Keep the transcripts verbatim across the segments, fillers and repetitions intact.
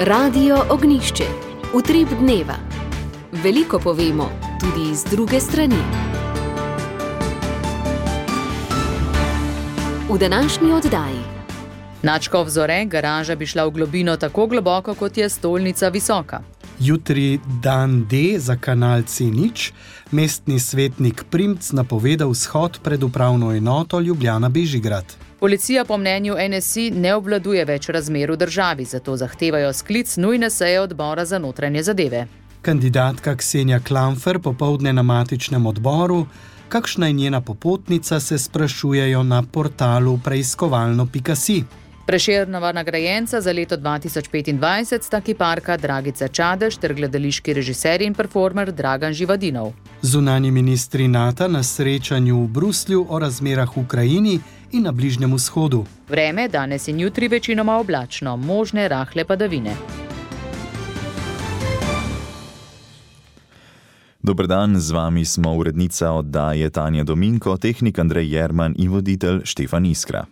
Radio Ognjišče. Utrip dneva. Veliko povemo, tudi iz druge strani. V današnji oddaji. Nadškof Zore, garaža bi šla v globino tako globoko, kot je stolnica visoka. Jutri dan D za kanal C nič, mestni svetnik Primc napovedal shod pred upravno enoto Ljubljana-Bežigrad. Policija po mnenju N S I ne obvladuje več razmer v državi, zato zahtevajo sklic nujne seje odbora za notranje zadeve. Kandidatka Ksenija Klampfer popoldne na matičnem odboru, kakšna je njena popotnica, se sprašujejo na portalu preiskovalno pika si. Prešernova nagrajenca za leto dva tisoč petindvajset sta kiparka Dragica Čadež ter gledališki režiser in performer Dragan Živadinov. Zunanji ministri NATO na srečanju v Bruslju o razmerah v Ukrajini in na Bližnjem vzhodu. Vreme danes in jutri večinoma oblačno, možne rahle padavine. Dober dan, z vami smo urednica oddaje Tanja Dominko, tehnik Andrej Jerman in voditelj Štefan Iskra.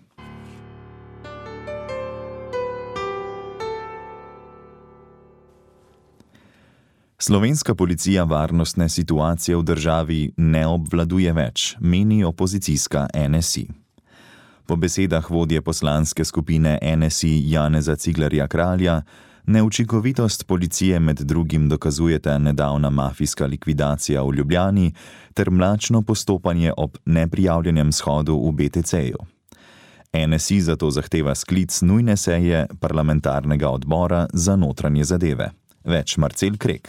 Slovenska policija varnostne situacije v državi ne obvladuje več, meni opozicijska N S I. Po besedah vodje poslanske skupine N S I Janeza Ciglerja Kralja, neučinkovitost policije med drugim dokazujeta nedavna mafijska likvidacija v Ljubljani ter mlačno postopanje ob neprijavljenem shodu v B T C-ju. N S I zato zahteva sklic nujne seje parlamentarnega odbora za notranje zadeve. Več Marcel Krek.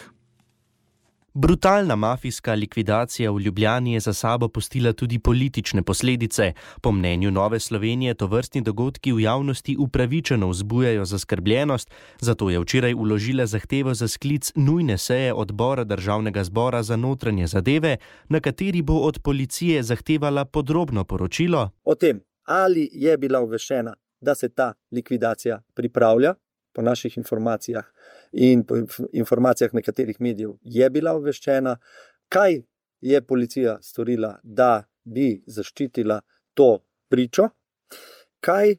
Brutalna mafijska likvidacija v Ljubljani je za sabo pustila tudi politične posledice. Po mnenju Nove Slovenije tovrstni dogodki v javnosti upravičeno vzbujajo zaskrbljenost, zato je včeraj vložila zahtevo za sklic nujne seje odbora Državnega zbora za notranje zadeve, na kateri bo od policije zahtevala podrobno poročilo o tem, ali je bila obveščena, da se ta likvidacija pripravlja. Po naših informacijah in po informacijah nekaterih medijev je bila obveščena, kaj je policija storila, da bi zaščitila to pričo, kaj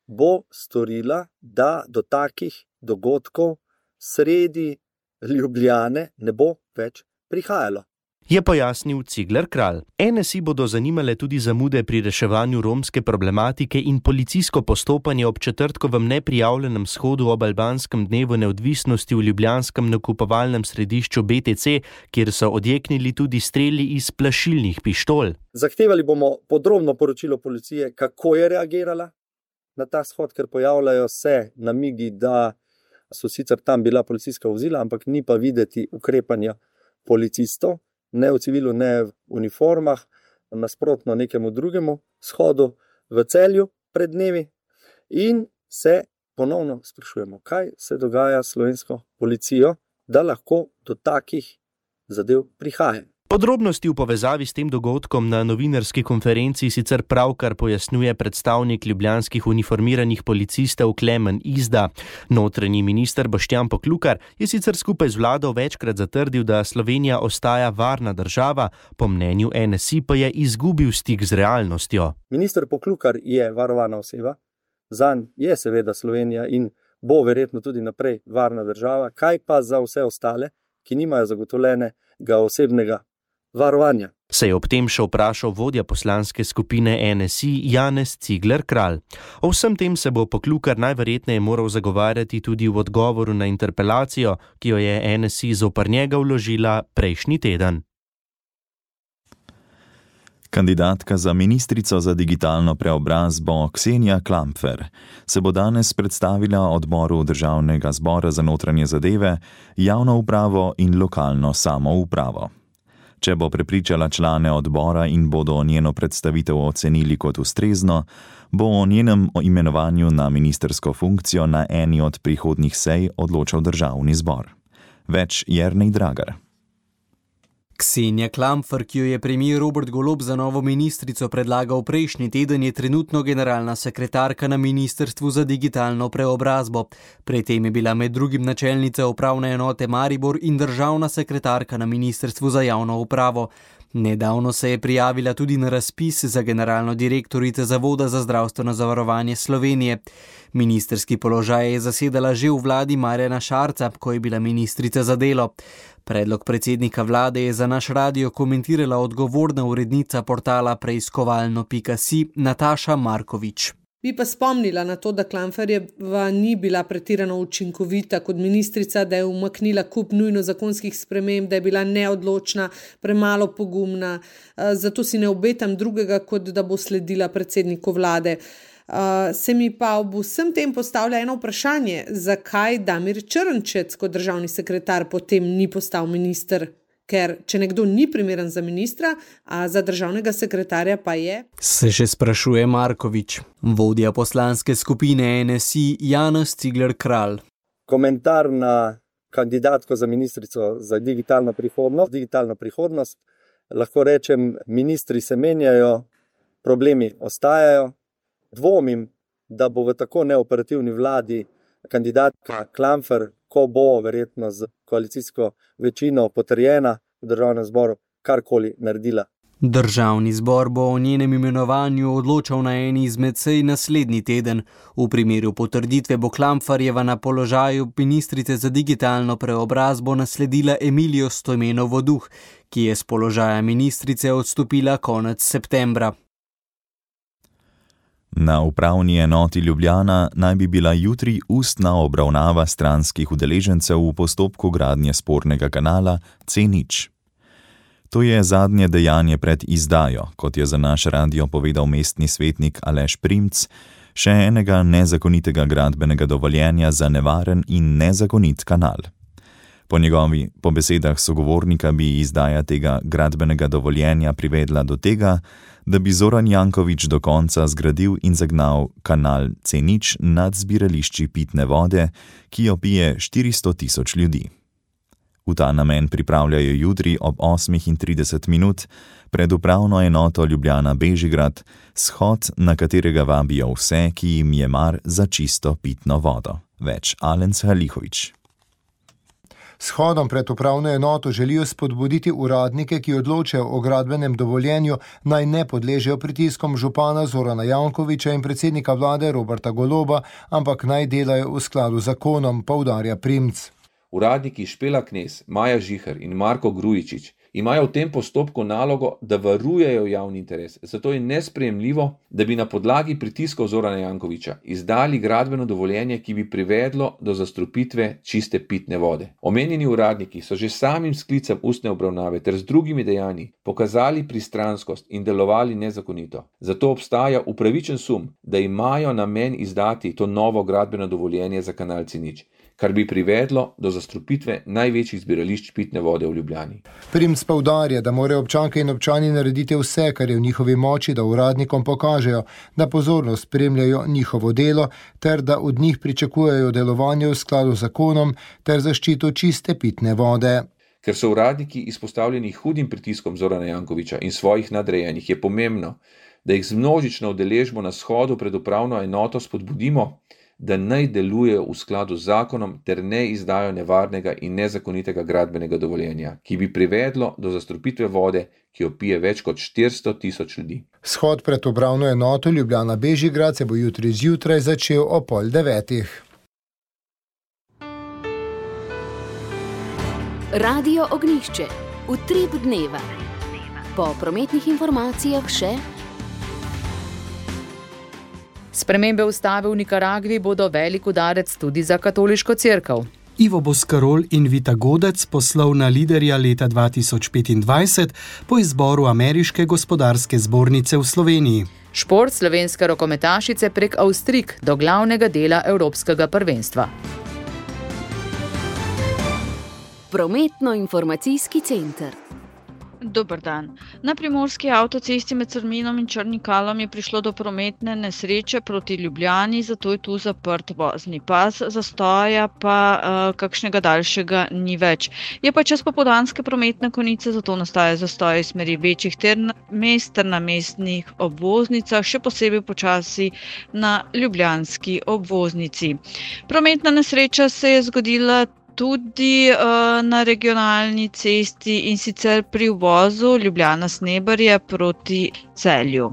bo storila, da do takih dogodkov sredi Ljubljane ne bo več prihajalo. Je pojasnil Cigler Kralj. N S I bodo zanimale tudi zamude pri reševanju romske problematike in policijsko postopanje ob četrtkovem neprijavljenem shodu ob albanskem dnevu neodvisnosti v ljubljanskem nakupovalnem središču B T C, kjer so odjeknili tudi streli iz plašilnih pištol. Zahtevali bomo podrobno poročilo policije, kako je reagirala na ta shod, ker pojavljajo se namigi, da so sicer tam bila policijska vozila, ampak ni pa videti ukrepanja policistov. Ne v civilu, ne v uniformah, nasprotno nekemu drugemu shodu v Celju pred dnevi in se ponovno sprašujemo, kaj se dogaja s slovensko policijo, da lahko do takih zadev prihaja. Podrobnosti v povezavi s tem dogodkom na novinarski konferenci sicer pravkar pojasnjuje predstavnik ljubljanskih uniformiranih policistov Klemen Izda. Notranji minister Boštjan Poklukar je sicer skupaj z vlado večkrat zatrdil, da Slovenija ostaja varna država, po mnenju N S I pa je izgubil stik z realnostjo. Minister Poklukar je varovana oseba, zanj je seveda Slovenija in bo verjetno tudi naprej varna država, kaj pa za vse ostale, ki nimajo zagotovljenega osebnega varovanja. Se je ob tem še vprašal vodja poslanske skupine N S I Janez Cigler Kralj. O vsem tem se bo Poklukar najverjetneje moral zagovarjati tudi v odgovoru na interpelacijo, ki jo je N S I zoper njega vložila prejšnji teden. Kandidatka za ministrico za digitalno preobrazbo Ksenija Klampfer se bo danes predstavila odboru Državnega zbora za notranje zadeve, javno upravo in lokalno samoupravo. Če bo prepričala člane odbora in bodo njeno predstavitev ocenili kot ustrezno, bo o njenem imenovanju na ministrsko funkcijo na eni od prihodnjih sej odločal Državni zbor. Več Jernej Dragar. Ksenija Klampfer, ki jo je premier Robert Golob za novo ministrico predlagal prejšnji teden, je trenutno generalna sekretarka na Ministrstvu za digitalno preobrazbo. Pred tem je bila med drugim načelnica upravne enote Maribor in državna sekretarka na Ministrstvu za javno upravo. Nedavno se je prijavila tudi na razpis za generalno direktorico Zavoda za zdravstveno zavarovanje Slovenije. Ministrski položaj je zasedala že v vladi Marjana Šarca, ko je bila ministrica za delo. Predlog predsednika vlade je za naš radio komentirala odgovorna urednica portala preiskovalno pika si Nataša Markovič. Bi pa spomnila na to, da Klamferjeva ni bila pretirano učinkovita kot ministrica, da je umaknila kup nujno zakonskih sprememb, da je bila neodločna, premalo pogumna. Zato si ne obetam drugega, kot da bo sledila predsedniku vlade. Se mi pa ob vsem tem postavlja eno vprašanje, zakaj Damir Črnčec kot državni sekretar potem ni postal minister? Ker če nekdo ni primeren za ministra, a za državnega sekretarja pa je? Se še sprašuje Markovič. Vodja poslanske skupine N S I Janez Cigler Kralj. Komentar na kandidatko za ministrico za digitalno prihodnost. Digitalno prihodnost. Lahko rečem, ministri se menjajo, problemi ostajajo. Dvomim, da bo v tako neoperativni vladi kandidatka Klamfer, ko bo verjetno z koalicijsko večino potrjena v državnem zboru, karkoli naredila. Državni zbor bo o njenem imenovanju odločal na eni izmed sej naslednji teden. V primeru potrditve bo Klamferjeva na položaju ministrice za digitalno preobrazbo nasledila Emilijo Stojmenovo Duh, ki je s položaja ministrice odstopila konec septembra. Na upravni enoti Ljubljana naj bi bila jutri ustna obravnava stranskih udeležencev v postopku gradnje spornega kanala C nič. To je zadnje dejanje pred izdajo, kot je za naš radio povedal mestni svetnik Aleš Primc, še enega nezakonitega gradbenega dovoljenja za nevaren in nezakonit kanal. Po njegovi, po besedah sogovornika, bi izdaja tega gradbenega dovoljenja privedla do tega, da bi Zoran Janković do konca zgradil in zagnal kanal C nič nad zbirališči pitne vode, ki jo pije štiristo tisoč ljudi. V ta namen pripravljajo jutri ob osmih trideset minut pred upravno enoto Ljubljana Bežigrad shod, na katerega vabijo vse, ki jim je mar za čisto pitno vodo. Več Alenc Halihović. S shodom pred upravno enoto želijo spodbuditi uradnike, ki odločajo o gradbenem dovoljenju, naj ne podležejo pritiskom župana Zorana Jankovića in predsednika vlade Roberta Goloba, ampak naj delajo v skladu z zakonom, poudarja Primc. Uradniki Špela Knez, Maja Žiher in Marko Grujičič imajo v tem postopku nalogo, da varujejo javni interes. Zato je nesprejemljivo, da bi na podlagi pritiskov Zorana Jankovića izdali gradbeno dovoljenje, ki bi privedlo do zastrupitve čiste pitne vode. Omenjeni uradniki so že samim sklicem ustne obravnave ter z drugimi dejanji pokazali pristranskost in delovali nezakonito. Zato obstaja upravičen sum, da imajo namen izdati to novo gradbeno dovoljenje za kanal C nič, kar bi privedlo do zastrupitve največjih zbirališč pitne vode v Ljubljani. Primc poudarja, da morajo občanke in občani narediti vse, kar je v njihovi moči, da uradnikom pokažejo, da pozorno spremljajo njihovo delo, ter da od njih pričakujejo delovanje v skladu z zakonom ter zaščito čiste pitne vode. Ker so uradniki izpostavljeni hudim pritiskom Zorana Jankovića in svojih nadrejenih, je pomembno, da jih z množično udeležbo na shodu pred upravno enoto spodbudimo, da naj delujejo v skladu z zakonom ter ne izdajo nevarnega in nezakonitega gradbenega dovoljenja, ki bi privedlo do zastrupitve vode, ki jo pije več kot štiristo tisoč ljudi. Shod pred upravno enoto Ljubljana Bežigrad se bo jutri zjutraj začel o pol devetih. Radio Ognjišče. Utrip dneva. Po prometnih informacijah še spremembe ustave v Nikaragvi bodo velik udarec tudi za katoliško cerkev. Ivo Boscarol in Vita Godec, poslovna liderja leta dva tisoč petindvajset, po izboru Ameriške gospodarske zbornice v Sloveniji. Šport slovenske rokometašice prek Avstrijk do glavnega dela evropskega prvenstva. Prometno-informacijski center. Dober dan. Na primorski avtocesti med Crminom in Črnim Kalom je prišlo do prometne nesreče proti Ljubljani, zato je tu zaprt vozni pas, zastoja pa uh, kakšnega daljšega ni več. Je pa čez popoldanske prometne konice, zato nastaja zastoj iz smeri večjih mest ter na mestnih obvoznicah, še posebej počasi na ljubljanski obvoznici. Prometna nesreča se je zgodila tudi uh, na regionalni cesti, in sicer pri uvozu Ljubljana-Sneberje proti Celju.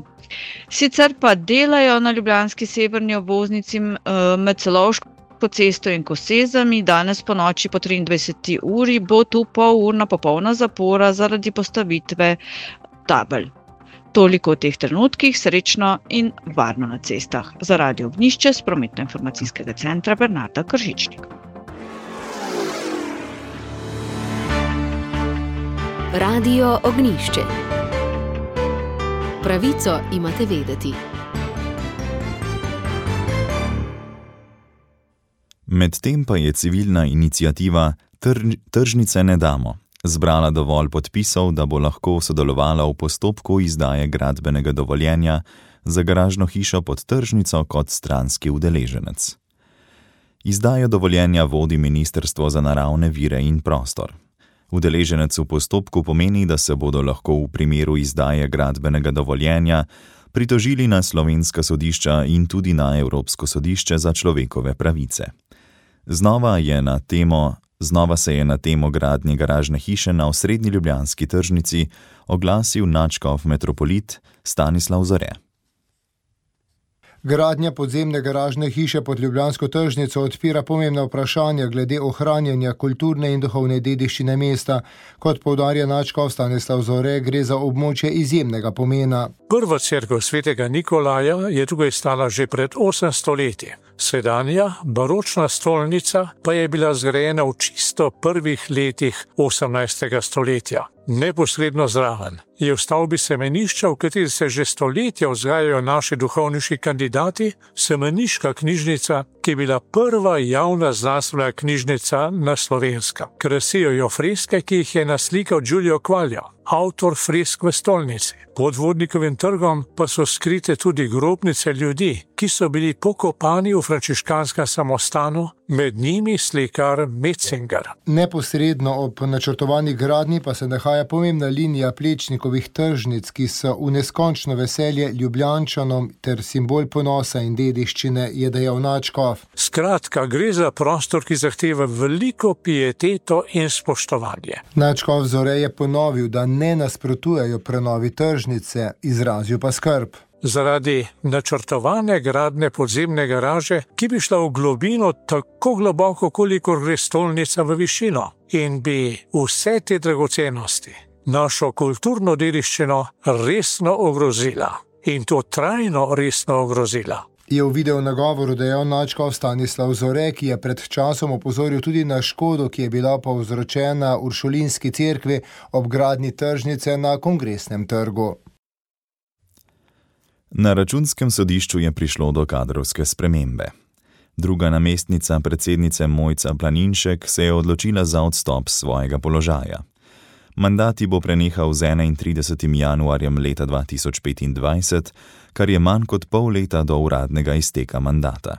Sicer pa delajo na ljubljanski severni obvoznici uh, med Celovško cesto in Kosezami. Danes po noči po triindvajseti uri bo tu polurna popolna zapora zaradi postavitve tabel. Toliko v teh trenutkih, srečno in varno na cestah. Za Radio Ognjišče s prometno-informacijskega centra Bernarda Kržičnik. Radio Ognjišče. Pravico imate vedeti. Medtem pa je civilna iniciativa Tr- Tržnice ne damo zbrala dovolj podpisov, da bo lahko sodelovala v postopku izdaje gradbenega dovoljenja za garažno hišo pod tržnico kot stranski udeleženec. Izdajo dovoljenja vodi Ministrstvo za naravne vire in prostor. Udeleženec v postopku pomeni, da se bodo lahko v primeru izdaje gradbenega dovoljenja pritožili na slovenska sodišča in tudi na Evropsko sodišče za človekove pravice. Znova je na temo Znova se je na temo gradnje garažne hiše na osrednji ljubljanski tržnici oglasil nadškof metropolit Stanislav Zore. Gradnja podzemne garažne hiše pod ljubljansko tržnico odpira pomembna vprašanja glede ohranjanja kulturne in duhovne dediščine mesta. Kot poudarja nadškof Stanislav Zore, gre za območje izjemnega pomena. Prva cerkev svetega Nikolaja je tukaj stala že pred osemsto leti. Sedanja, baročna stolnica pa je bila zgrajena v čisto prvih letih osemnajstega stoletja. Neposredno zraven je v stavbi semenišča, v kateri se že stoletja vzgajajo naši duhovniški kandidati, semeniška knjižnica, ki je bila prva javna znanstvena knjižnica na Slovenskem. Krasijo jo freske, ki jih je naslikal Giulio Quaglio, avtor fresk v stolnici. Pod Vodnikovim trgom pa so skrite tudi grobnice ljudi, ki so bili pokopani v frančiškanskem samostanu, med njimi slikar Metzinger. Neposredno ob načrtovani gradnji pa se nahaja pomembna linija Plečnikovih tržnic, ki so v neskončno veselje Ljubljančanom ter simbol ponosa in dediščine, je dejal nadškof. Skratka, gre za prostor, ki zahteva veliko pieteto in spoštovanje. Nadškof Zore je ponovil, da ne nasprotujejo prenovi tržnice, izrazil pa skrb. Zaradi načrtovane gradnje podzemne garaže, ki bi šla v globino tako globoko, kolikor gre stolnica v višino, in bi vse te dragocenosti, našo kulturno dediščino, resno ogrozila. In to trajno resno ogrozila. Je v video nagovoru dejal nadškof Stanislav Zore, ki je pred časom opozoril tudi na škodo, ki je bila povzročena Uršulinski cerkvi ob gradnji tržnice na Kongresnem trgu. Na Računskem sodišču je prišlo do kadrovske spremembe. Druga namestnica predsednice Mojca Planinšek se je odločila za odstop svojega položaja. Mandat ji bo prenehal z enaintridesetim januarjem leta dva tisoč petindvajset, kar je manj kot pol leta do uradnega izteka mandata.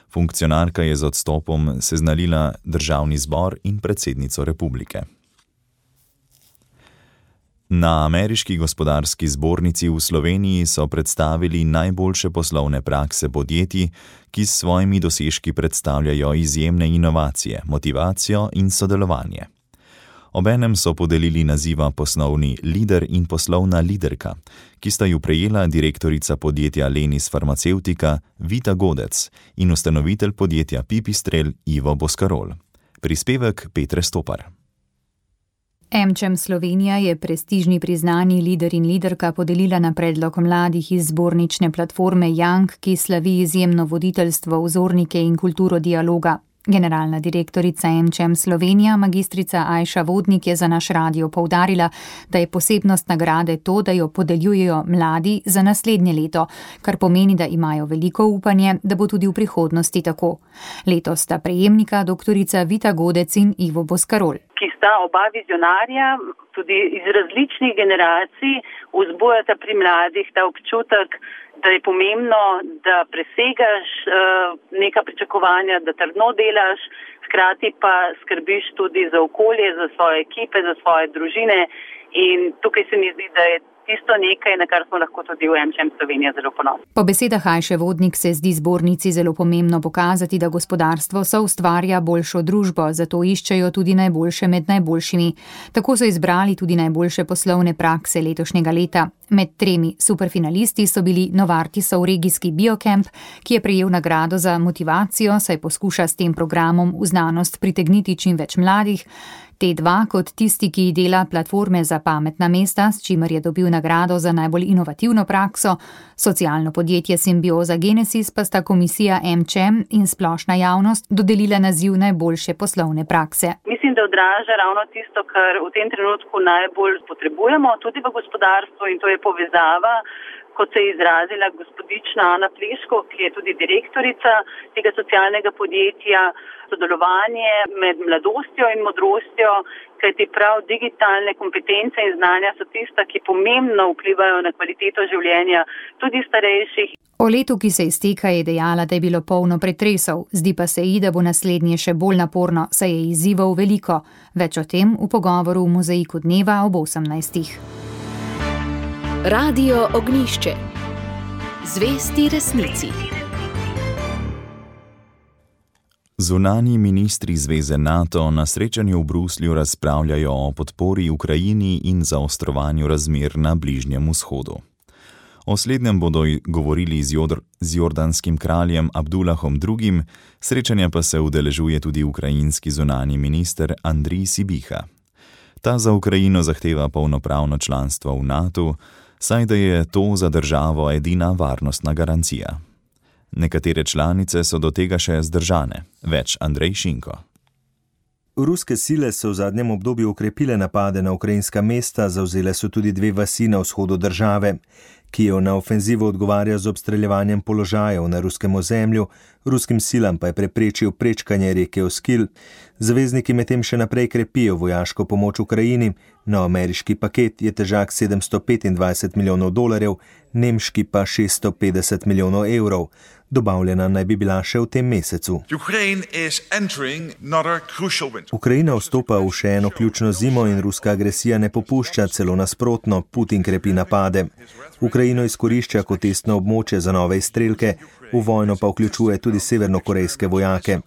Funkcionarka je z odstopom seznanila državni zbor in predsednico republike. Na Ameriški gospodarski zbornici v Sloveniji so predstavili najboljše poslovne prakse podjetij, ki s svojimi dosežki predstavljajo izjemne inovacije, motivacijo in sodelovanje. Obenem so podelili naziva poslovni lider in poslovna liderka, ki sta ju prejela direktorica podjetja Lenis Farmacevtika Vita Godec in ustanovitelj podjetja Pipistrel Ivo Boskarol. Prispevek Petre Stopar. AmCham Slovenija je prestižni priznani lider in liderka podelila na predlog mladih iz zbornične platforme Young, ki slavi izjemno voditeljstvo, vzornike in kulturo dialoga. Generalna direktorica AmCham Slovenija, magistrica Ajša Vodnik, je za naš radio poudarila, da je posebnost nagrade to, da jo podeljujejo mladi za naslednje leto, kar pomeni, da imajo veliko upanje, da bo tudi v prihodnosti tako. Letos sta prejemnika doktorica Vita Godec in Ivo Boskarol. Ki sta oba vizionarja, tudi iz različnih generacij, vzbujata pri mladih ta občutek, da je pomembno, da presegaš uh, neka pričakovanja, da trdno delaš, hkrati pa skrbiš tudi za okolje, za svoje ekipe, za svoje družine. In tukaj se mi zdi, da je tisto nekaj, na kar smo lahko tudi v AmCham Slovenija zelo ponosni. Po besedah Ajše Vodnik se zdi zbornici zelo pomembno pokazati, da gospodarstvo soustvarja boljšo družbo, zato iščejo tudi najboljše med najboljšimi. Tako so izbrali tudi najboljše poslovne prakse letošnjega leta. Med tremi superfinalisti so bili Novartisov regijski Biocamp, ki je prejel nagrado za motivacijo, saj poskuša s tem programom v znanost pritegniti čim več mladih. T dva kot tisti, ki dela platforme za pametna mesta, s čimer je dobil nagrado za najbolj inovativno prakso, socialno podjetje Symbioza Genesis pa sta komisija AmCham in splošna javnost dodelila naziv najboljše poslovne prakse. Mislim, da odraža ravno tisto, kar v tem trenutku najbolj potrebujemo, tudi v gospodarstvu, in to je povezava, kot se je izrazila gospodična Ana Pleško, ki je tudi direktorica tega socialnega podjetja, sodelovanje med mladostjo in modrostjo, kajti prav digitalne kompetence in znanja so tista, ki pomembno vplivajo na kvaliteto življenja tudi starejših. O letu, ki se izteka, je dejala, da je bilo polno pretresov. Zdi pa se ji, da bo naslednje še bolj naporno, saj je izzivov veliko. Več o tem v pogovoru v Mozaiku dneva ob osemnajstih. Radio Ognjišče. Zvesti resnici. Zunanji ministri Zveze NATO na srečanju v Bruslju razpravljajo o podpori Ukrajini in zaostrovanju razmer na Bližnjem vzhodu. O slednjem bodo govorili z, Jodr, z jordanskim kraljem Abdullahom drugim, srečanja pa se udeležuje tudi ukrajinski zunanji minister Andrij Sibiha. Ta za Ukrajino zahteva polnopravno članstvo v NATO, saj da je to za državo edina varnostna garancija. Nekatere članice so do tega še zdržane. Več Andrej Šinko. Ruske sile so v zadnjem obdobju okrepile napade na ukrajinska mesta, zavzele so tudi dve vasi na vzhodu države. Kijev na ofenzivo odgovarja z obstreljevanjem položajev na ruskem ozemlju, ruskim silam pa je preprečil prečkanje reke Oskil. Zavezniki medtem še naprej krepijo vojaško pomoč Ukrajini. Nov ameriški paket je težak sedemsto petindvajset milijonov dolarjev, nemški pa šeststo petdeset milijonov evrov. Dobavljena naj bi bila še v tem mesecu. Ukrajina vstopa v še eno ključno zimo in ruska agresija ne popušča, celo nasprotno, Putin krepi napade. Ukrajino izkorišča kot testno območje za nove izstrelke, v vojno pa vključuje tudi severnokorejske vojake.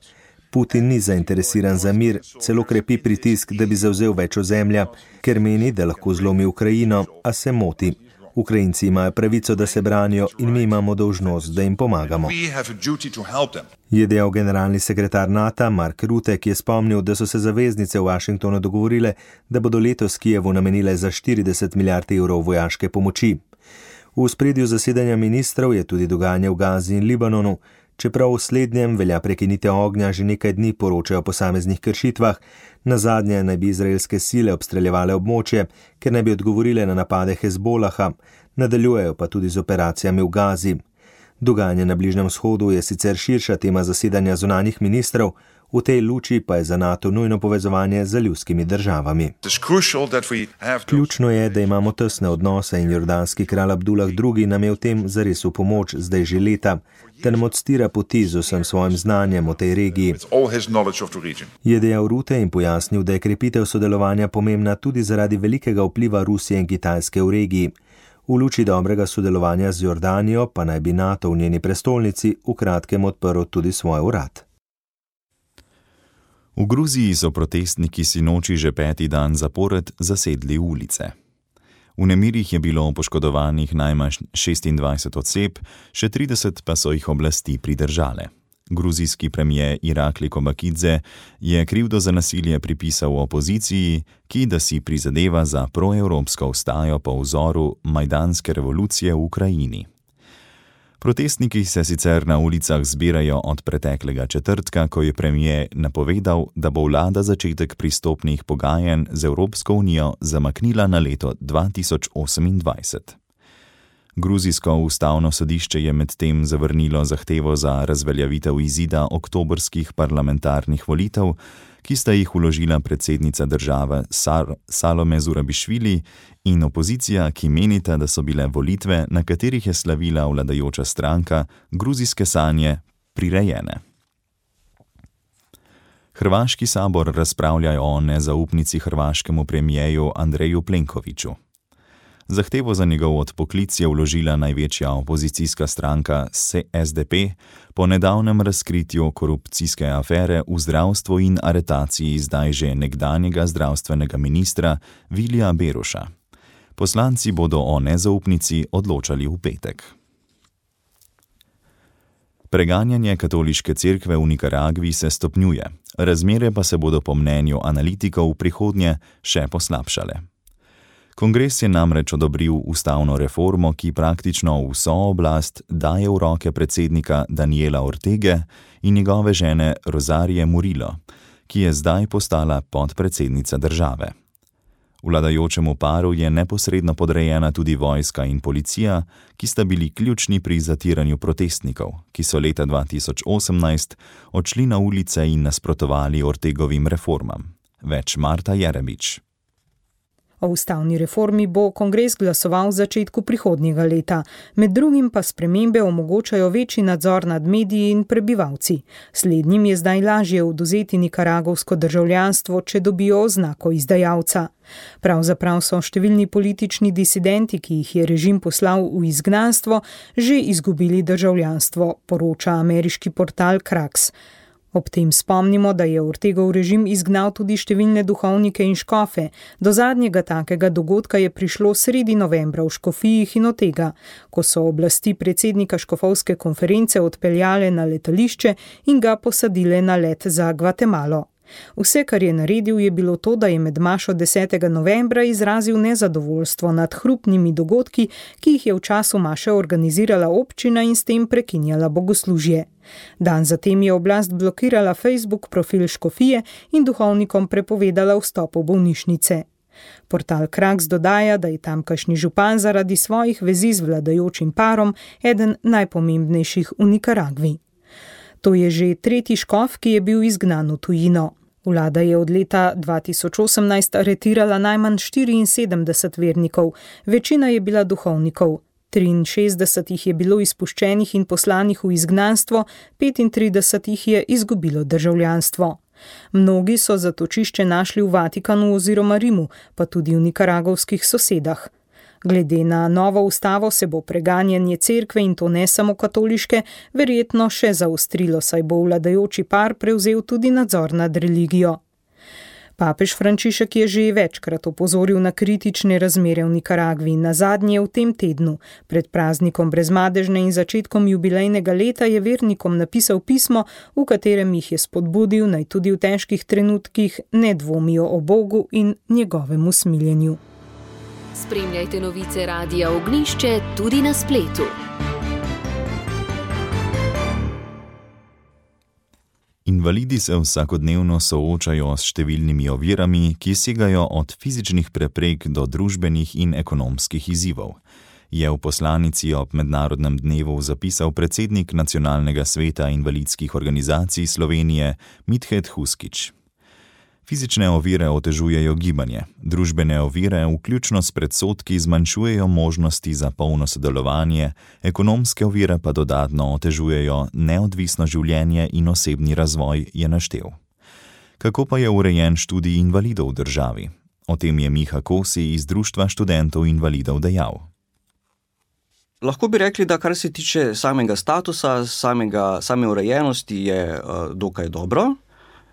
Putin ni zainteresiran za mir, celo krepi pritisk, da bi zavzel več ozemlja, ker meni, da lahko zlomi Ukrajino, a se moti. Ukrajinci imajo pravico, da se branijo in mi imamo dolžnost, da jim pomagamo. Je dejal generalni sekretar NATO Mark Rutte, ki je spomnil, da so se zaveznice v Washingtonu dogovorile, da bodo letos Kijevu namenile za štirideset milijard evrov vojaške pomoči. V ospredju zasedanja ministrov je tudi dogajanje v Gazi in Libanonu. Čeprav v slednjem velja prekinitev ognja, že nekaj dni poročajo o posameznih kršitvah, nazadnje naj bi izraelske sile obstreljevale območje, ker naj bi odgovorile na napade Hezbolaha, nadaljujejo pa tudi z operacijami v Gazi. Dogajanje na Bližnjem vzhodu je sicer širša tema zasedanja zunanjih ministrov, v tej luči pa je za NATO nujno povezovanje z ljudskimi državami. Ključno je, da imamo tesne odnose in jordanski kralj Abdullah drugi nam je v tem zares v pomoč zdaj že leta, da nam odstira poti z vsem svojim znanjem o tej regiji. Je dejal Rutte in pojasnil, da je krepitev sodelovanja pomembna tudi zaradi velikega vpliva Rusije in Kitajske v regiji. V luči dobrega sodelovanja z Jordanijo pa naj bi NATO v njeni prestolnici v kratkem odprl tudi svoj urad. V Gruziji so protestniki sinoči že peti dan zapored zasedli ulice. V nemirih je bilo poškodovanih najmanj šestindvajset oseb, še trideset pa so jih oblasti pridržale. Gruzijski premier Irakli Kobakidze je krivdo za nasilje pripisal opoziciji, ki da si prizadeva za proevropsko vstajo po vzoru majdanske revolucije v Ukrajini. Protestniki se sicer na ulicah zbirajo od preteklega četrtka, ko je premier napovedal, da bo vlada začetek pristopnih pogajanj z Evropsko unijo zamaknila na leto dva tisoč osemindvajset. Gruzijsko ustavno sodišče je medtem zavrnilo zahtevo za razveljavitev izida oktobrskih parlamentarnih volitev, ki sta jih vložila predsednica države Salome Zurabišvili in opozicija, ki menita, da so bile volitve, na katerih je slavila vladajoča stranka, gruzijske sanje, prirejene. Hrvaški sabor razpravlja o nezaupnici hrvaškemu premijeju Andreju Plenkoviću. Zahtevo za njegov odpoklic je vložila največja opozicijska stranka S D P po nedavnem razkritju korupcijske afere v zdravstvu in aretaciji zdaj že nekdanjega zdravstvenega ministra Vilija Beruša. Poslanci bodo o nezaupnici odločali v petek. Preganjanje katoliške cerkve v Nikaragvi se stopnjuje, razmere pa se bodo po mnenju analitikov v prihodnje še poslabšale. Kongres je namreč odobril ustavno reformo, ki praktično vso oblast daje v roke predsednika Daniela Ortege in njegove žene Rosarie Murillo, ki je zdaj postala podpredsednica države. Vladajočemu paru je neposredno podrejena tudi vojska in policija, ki sta bili ključni pri zatiranju protestnikov, ki so leta dva tisoč osemnajst odšli na ulice in nasprotovali Ortegovim reformam. Več Marta Jerebič. O ustavni reformi bo kongres glasoval v začetku prihodnjega leta. Med drugim pa spremembe omogočajo večji nadzor nad mediji in prebivalci. Slednjim je zdaj lažje odvzeti nikaragovsko državljanstvo, če dobijo oznako izdajalca. Pravzaprav so številni politični disidenti, ki jih je režim poslal v izgnanstvo, že izgubili državljanstvo, poroča ameriški portal Kraks. Ob tem spomnimo, da je Ortegov režim izgnal tudi številne duhovnike in škofe. Do zadnjega takega dogodka je prišlo sredi novembra v Škofiji Hinotega, ko so oblasti predsednika škofovske konference odpeljale na letališče in ga posadile na let za Gvatemalo. Vse, kar je naredil, je bilo to, da je med mašo desetega novembra izrazil nezadovoljstvo nad hrupnimi dogodki, ki jih je v času maše organizirala občina in s tem prekinjala bogoslužje. Dan zatem je oblast blokirala Facebook profil škofije in duhovnikom prepovedala vstop v bolnišnice. Portal Kraks dodaja, da je tamkajšnji župan zaradi svojih vezi z vladajočim parom eden najpomembnejših v Nikaragvi. To je že tretji škof, ki je bil izgnan v tujino. Vlada je od leta dva tisoč osemnajst aretirala najmanj štiriinsedemdeset vernikov, večina je bila duhovnikov. triinšestdeset jih je bilo izpuščenih in poslanih v izgnanstvo, petintrideset jih je izgubilo državljanstvo. Mnogi so zatočišče našli v Vatikanu oziroma Rimu, pa tudi v nikaragovskih sosedah. Glede na novo ustavo se bo preganjanje cerkve, in to ne samo katoliške, verjetno še zaostrilo, saj bo vladajoči par prevzel tudi nadzor nad religijo. Papež Frančišek je že večkrat opozoril na kritične razmere v Nikaragvi, nazadnje v tem tednu. Pred praznikom brezmadežne in začetkom jubilejnega leta je vernikom napisal pismo, v katerem jih je spodbudil, naj tudi v težkih trenutkih ne dvomijo o Bogu in njegovem usmiljenju. Spremljajte novice Radia Ognišče tudi na spletu. Invalidi se vsakodnevno soočajo s številnimi ovirami, ki segajo od fizičnih preprek do družbenih in ekonomskih izzivov, je v poslanici ob mednarodnem dnevu zapisal predsednik Nacionalnega sveta invalidskih organizacij Slovenije Mithed Huskič. Fizične ovire otežujejo gibanje, družbene ovire, vključno s predsodki, zmanjšujejo možnosti za polno sodelovanje, ekonomske ovire pa dodatno otežujejo neodvisno življenje in osebni razvoj, je naštel. Kako pa je urejen študij invalidov v državi? O tem je Miha Kosi iz Društva študentov invalidov dejal. Lahko bi rekli, da kar se tiče samega statusa, samega, same urejenosti je uh, dokaj dobro.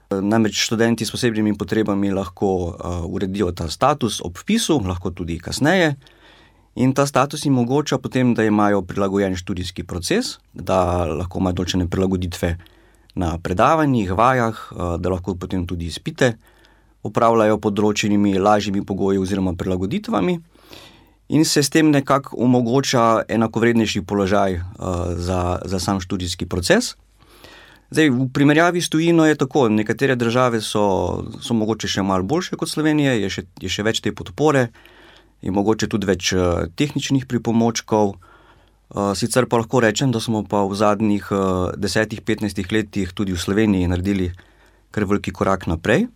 Namreč študenti s posebnimi potrebami lahko uh, uredijo ta status ob vpisu, lahko tudi kasneje. In ta status jim omogoča potem, da imajo prilagojen študijski proces, da lahko imajo določene prilagoditve na predavanjih, vajah, uh, da lahko potem tudi izpite opravljajo pod določenimi lažjimi pogoji oziroma prilagoditvami. In se s tem nekako omogoča enakovrednejši položaj uh, za, za sam študijski proces. Zdaj, v primerjavi s tujino je tako, nekatere države so, so mogoče še malo boljše kot Slovenije, je še, je še več te podpore, je mogoče tudi več uh, tehničnih pripomočkov. Uh, sicer pa lahko rečem, da smo pa v zadnjih uh, desetih, petnajstih letih tudi v Sloveniji naredili kar veliki korak naprej.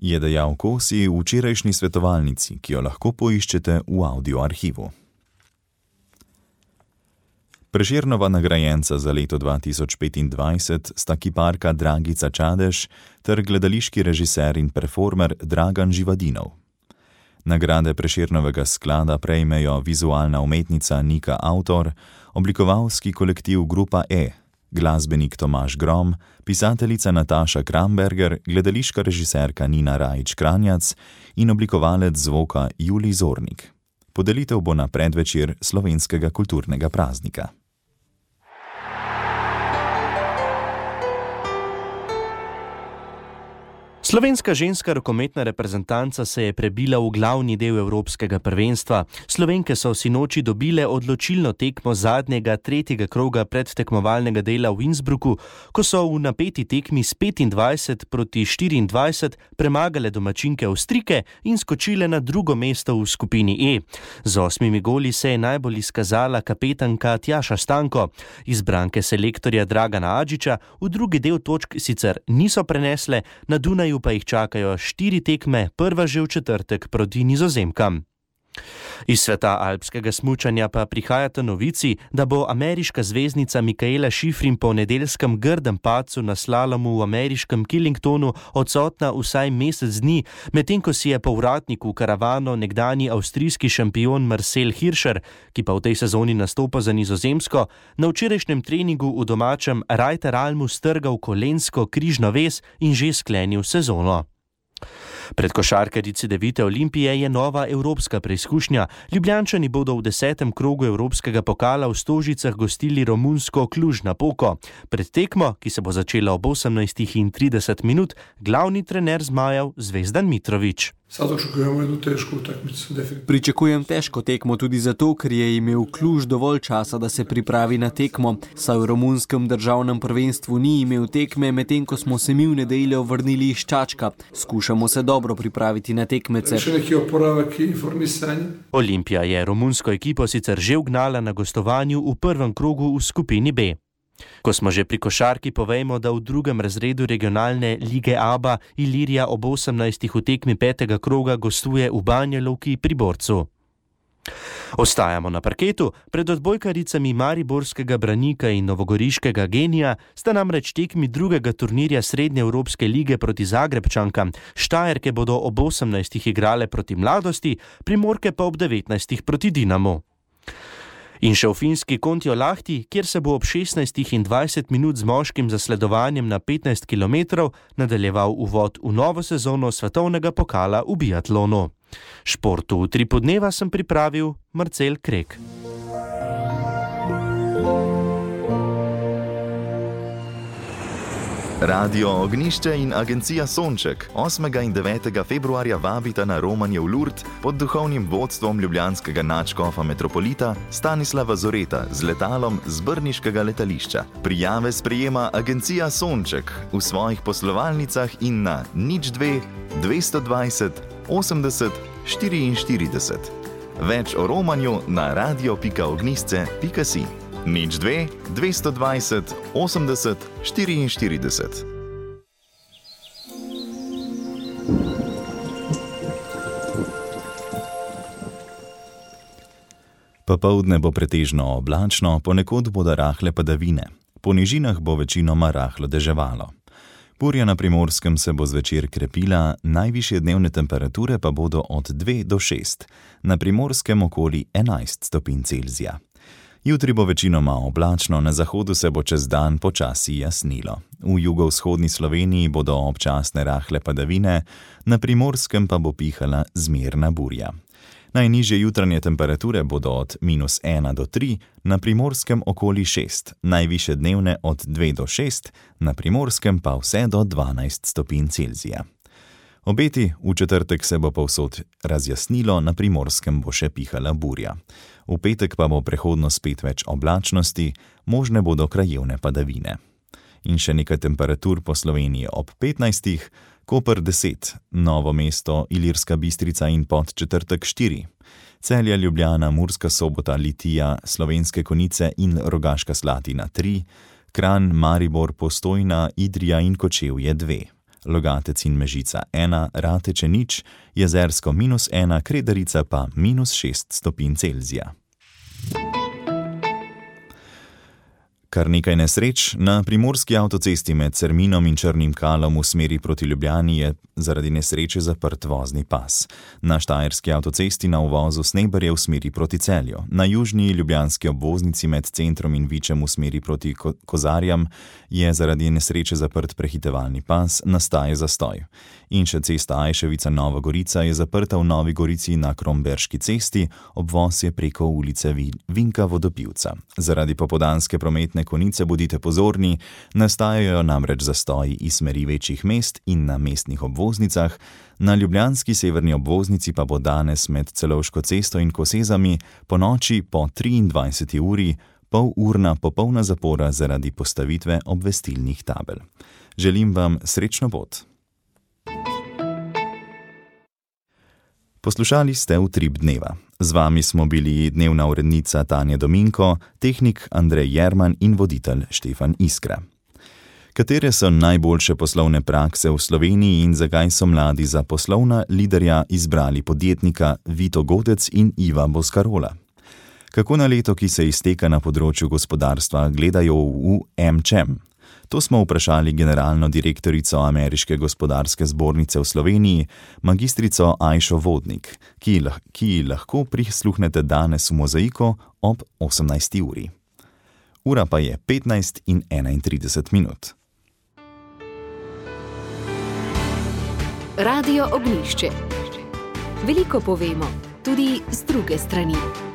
Je dejal Kosi v včerajšnji svetovalnici, ki jo lahko poiščete v audio arhivu. Prešernova nagrajenca za leto dva tisoč petindvajset sta kiparka Dragica Čadež ter gledališki režiser in performer Dragan Živadinov. Nagrade Prešernovega sklada prejmejo vizualna umetnica Nika Autor, oblikovalski kolektiv Grupa E, glasbenik Tomaž Grom, pisateljica Nataša Kramberger, gledališka režiserka Nina Rajić-Kranjac in oblikovalec zvoka Julij Zornik. Podelitev bo na predvečer slovenskega kulturnega praznika. Slovenska ženska rokometna reprezentanca se je prebila v glavni del evropskega prvenstva. Slovenke so sinoči dobile odločilno tekmo zadnjega, tretjega kroga predtekmovalnega dela v Innsbrucku, ko so v napeti tekmi s petindvajset proti štiriindvajset premagale domačinke Avstrijke in skočile na drugo mesto v skupini E. Z osmimi goli se je najbolj izkazala kapetanka Tjaša Stanko. Izbranke selektorja Dragana Adžiča v drugi del točk sicer niso prenesle, na Dunaju pa jih čakajo štiri tekme, prva že v četrtek proti Nizozemkam. Iz sveta alpskega smučanja pa prihajata novici, da bo ameriška zvezdnica Mikaela Shiffrin po nedeljskem grdem padcu na slalomu v ameriškem Killingtonu odsotna vsaj mesec dni, medtem ko si je povratnik v karavano nekdanji avstrijski šampion Marcel Hirscher, ki pa v tej sezoni nastopa za Nizozemsko, na včerajšnjem treningu v domačem Reiteralmu strgal kolensko križno vez in že sklenil sezono. Pred košarkarici Devite Olimpije je nova evropska preizkušnja. Ljubljančani bodo v desetem krogu evropskega pokala v Stožicah gostili romunsko Cluj-Napoko. Pred tekmo, ki se bo začela ob osemnajstih in trideset minut, glavni trener zmajev Zvezdan Mitrović. Pričakujem težko tekmo tudi zato, ker je imel Cluj dovolj časa, da se pripravi na tekmo, saj v romunskem državnem prvenstvu ni imel tekme, medtem ko smo se mi v nedeljo vrnili iz Čačka. Skušamo se dobro pripraviti na tekmece. Olimpija je romunsko ekipo sicer že ugnala na gostovanju v prvem krogu v skupini B. Ko smo že pri košarki, povejmo, da v drugem razredu regionalne lige A B A Ilirija ob osemnajstih v tekmi petega kroga gostuje v Banjaluki pri Borcu. Ostajamo na parketu. Pred odbojkaricami mariborskega Branika in novogoriškega Genija sta namreč tekmi drugega turnirja Srednje Evropske lige proti Zagrebčankam. Štajerke bodo ob osemnajstih igrale proti Mladosti, Primorke pa ob devetnajstih proti Dinamu. In še v finski Kontiolahti, kjer se bo ob šestnajstih in dvajset minut z moškim zasledovanjem na petnajst kilometrov nadaljeval uvod v novo sezono svetovnega pokala v biatlonu. Športu v tri podneva sem pripravil Marcel Krek. Radio Ognišče in agencija Sonček osmega in devetega februarja vabita na romanje v Lourdes pod duhovnim vodstvom ljubljanskega nadškofa metropolita Stanislava Zoreta z letalom z brniškega letališča. Prijave sprejema agencija Sonček v svojih poslovalnicah in na nič dve dvesto dvajset osemdeset štiriinštirideset. Več o romanju na radio pika ognisce pika si. nič dve dvesto dvajset osemdeset štiriinštirideset. Popoldne bo pretežno oblačno, ponekod bodo rahle padavine. Po nižinah bo večinoma rahlo deževalo. Burja na Primorskem se bo zvečer krepila, najvišje dnevne temperature pa bodo od dve do šest, na Primorskem okoli enajst stopinj Celzija. Jutri bo večinoma oblačno, na zahodu se bo čez dan počasi jasnilo. V jugovzhodni Sloveniji bodo občasne rahle padavine, na Primorskem pa bo pihala zmerna burja. Najnižje jutranje temperature bodo od minus ena do tri, na Primorskem okoli šest, najvišje dnevne od dve do šest, na Primorskem pa vse do dvanajst stopinj Celzija. Obeti, v četrtek se bo povsod razjasnilo, na Primorskem bo še pihala burja. V petek pa bo prehodno spet več oblačnosti, možne bodo krajevne padavine. In še nekaj temperatur po Sloveniji ob petnajstih, Koper deset, Novo mesto, Ilirska Bistrica in Podčetrtek štiri, Celje, Ljubljana, Murska Sobota, Litija, Slovenske Konjice in Rogaška Slatina tri, Kranj, Maribor, Postojna, Idrija in Kočevje dve, Logatec in Mežica ena, Rateče nič, Jezersko minus ena, Kredarica pa minus šest stopinj Celzija. Kar nekaj nesreč, na primorski avtocesti med Cerminom in Črnim Kalom v smeri proti Ljubljani je zaradi nesreče zaprt vozni pas. Na štajerski avtocesti na uvozu Sneberje v smeri proti Celju, na južni ljubljanski obvoznici med centrom in Vičem v smeri proti Ko- Kozarjam je zaradi nesreče zaprt prehitevalni pas, nastaja zastoj. In še cesta Ajševica Nova Gorica je zaprta v Novi Gorici na Kromberški cesti, obvoz je preko ulice Vinka Vodopivca. Zaradi popoldanske prometne konice bodite pozorni, nastajajo namreč zastoji iz smeri večjih mest in na mestnih obvoznicah, na ljubljanski severni obvoznici pa bo danes med Celovško cesto in Kosezami po noči po triindvajseti uri pol urna popolna zapora zaradi postavitve obvestilnih tabel. Želim vam srečno pot. Poslušali ste Utrip dneva. Z vami smo bili dnevna urednica Tanja Dominko, tehnik Andrej Jerman in voditelj Štefan Iskra. Katere so najboljše poslovne prakse v Sloveniji in zakaj so mladi za poslovna liderja izbrali podjetnika Vito Godec in Iva Boscarola? Kako na leto, ki se izteka na področju gospodarstva, gledajo v em če em? To smo vprašali generalno direktorico Ameriške gospodarske zbornice v Sloveniji, magistrico Ajšo Vodnik, ki, lah, ki lahko prisluhnete danes v Mozaiku ob osemnajsti uri. Ura pa je petnajst in enaintrideset minut. Radio Ognjišče. Veliko povemo, tudi z druge strani.